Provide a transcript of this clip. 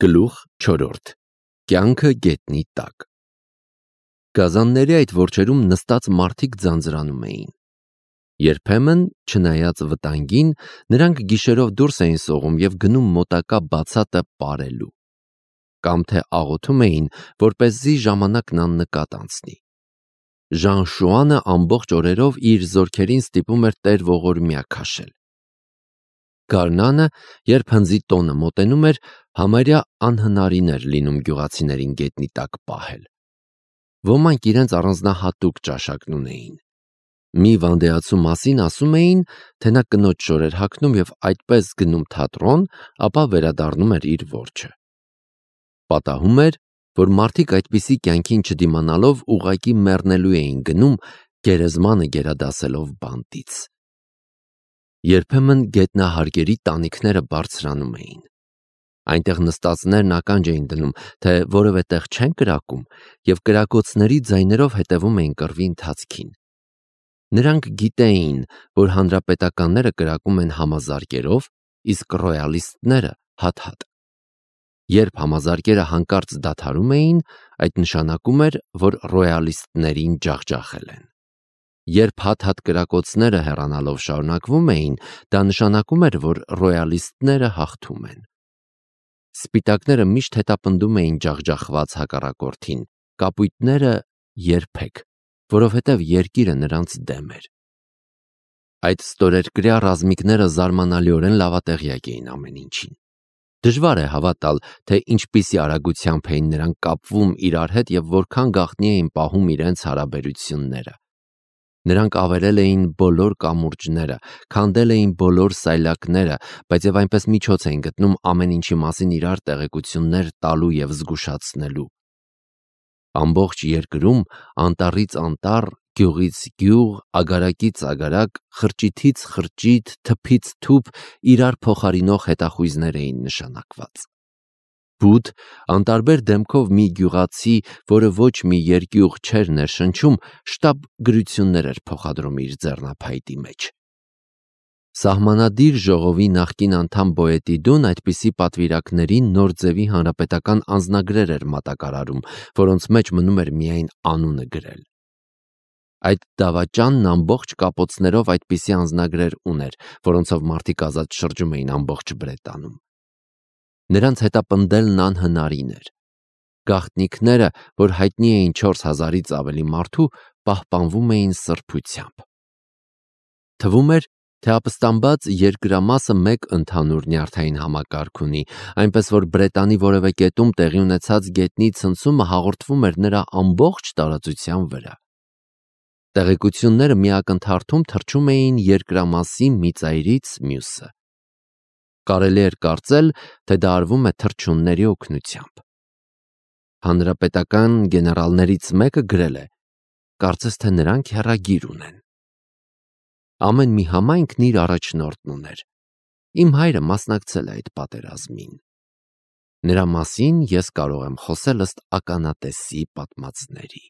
Գլուխ 4. Կյանքը գետնի տակ։ Գազանների այդ որջերում նստած մարդիկ ձանձրանում էին։ Երբեմն, չնայած վտանգին, նրանք գիշերով դուրս էին սողում և գնում մոտակա բացատը պարելու։ Կամ թե աղոթում էին, որպեսզի ժամանակն աննկատ անցնի։ Ժան Շուանը ամբողջ օրերով իր զորքերին ստիպում էր տեր ողորմյա քաշել։ Գարնանը, երբ հնձի տոնը մոտենում էր, համարյա անհնարին էր լինում գյուղացիներին գետնի տակ պահել։ Ոմանք իրենց առանձնահատուկ ճաշակն ունեին։ Մի վանդեացու մասին ասում էին, թե նա կնոջ շոր էր հագնում և այդպես գնում թատրոն, ապա վերադառնում էր իր որջը։ Պատահում էր, որ մարդիկ այդպիսի կյանքին չդիմանալով ուղղակի մեռնելու էին գնում, գերեզմանը գերադասելով բանտից։ Երբեմն գետնահարգերի տանիքները բարձրանում էին։ Այնտեղ նստածներն ականջ էին դնում, թե որևէ տեղ չեն կրակում, և կրակոցների ձայներով հետևում էին կռվի ընթացքին։ Նրանք գիտեին, որ հանրապետականները կրակում են համազարկերով, իսկ ռոյալիստները հատ-հատ։ Երբ համազարկերը հանկարծ դադարում էին, այդ նշանակում էր, որ ռոյալիստներին ջախջախել են։ Երբ հատ-հատ կրակոցները հեռանալով շարունակվում էին, դա նշանակում էր, որ ռոյալիստները հաղթում են։ Սպիտակները միշտ հետապնդում էին ջախջախված հակառակորդին, կապույտները՝ երբեք, որովհետև երկիրը նրանց դեմ էր։ Այդ ստորերկրյա ռազմիկները զարմանալիորեն լավատեղյակ էին ամեն ինչին։ Դժվար է հավատալ, թե ինչպիսի արագությամբ էին նրանք կապվում իրար հետ և որքան գաղտնի էին պահում իրենց հարաբերությունները։ Նրանք ավերել էին բոլոր կամուրջները, քանդել էին բոլոր սայլակները, բայց և այնպես միջոց էին գտնում ամեն ինչի մասին իրար տեղեկություններ տալու և զգուշացնելու։ Ամբողջ երկրում, անտառից անտառ, գյուղից գյուղ, ագարակից ագարակ, խրճիթից խրճիթ, թփից թուփ իրար փոխարինող հետախույզներ էին նշանակված։ Բութ, անտարբեր դեմքով մի գյուղացի, որը ոչ մի երկյուղ չէր ներշնչում, շտապ գրություններ էր փոխադրում իր ձեռնափայտի մեջ։ Սահմանադիր ժողովի նախկին անդամ Բոետիդուն այդպիսի պատվիրակների նոր ձևի հանրապետական անձնագրեր էր մատակարարում, որոնց մեջ մնում էր միայն անունը գրել։ Այդ դավաճանն ամբողջ կապոցներով այդպիսի անձնագրեր ուներ, որոնցով մարդիկ ազատ շրջում էին ամբողջ Բրետանում։ Նրանց հետապնդելն անհնարին էր։ Գաղտնիքները, որ հայտնի էին 4000-ից ավելի մարդու, պահպանվում էին սրբությամբ։ Թվում էր, թե ապստամբած երկրամասը մեկ ընդհանուր նյարդային համակարգ ունի, այնպես որ Բրետանի որևէ կետում տեղի ունեցած գետնի ցնցումը հաղորդվում էր նրա ամբողջ տարածության վրա։ Տեղեկությունները մի ակնթարթում թռչում էին երկրամասի մի ծայրից մյուսը։ Կարելի էր կարծել, թե դա արվում է թռչունների օգնությամբ։ Հանրապետական գեներալներից մեկը գրել է. կարծես թե նրանք հեռագիր ունեն։ Ամեն մի համայնքն իր առաջնորդն ուներ։ Իմ հայրը մասնակցել է այդ պատերազմին։ Նրա մասին ես կարող եմ խոսել ըստ ականատեսի պատմածների։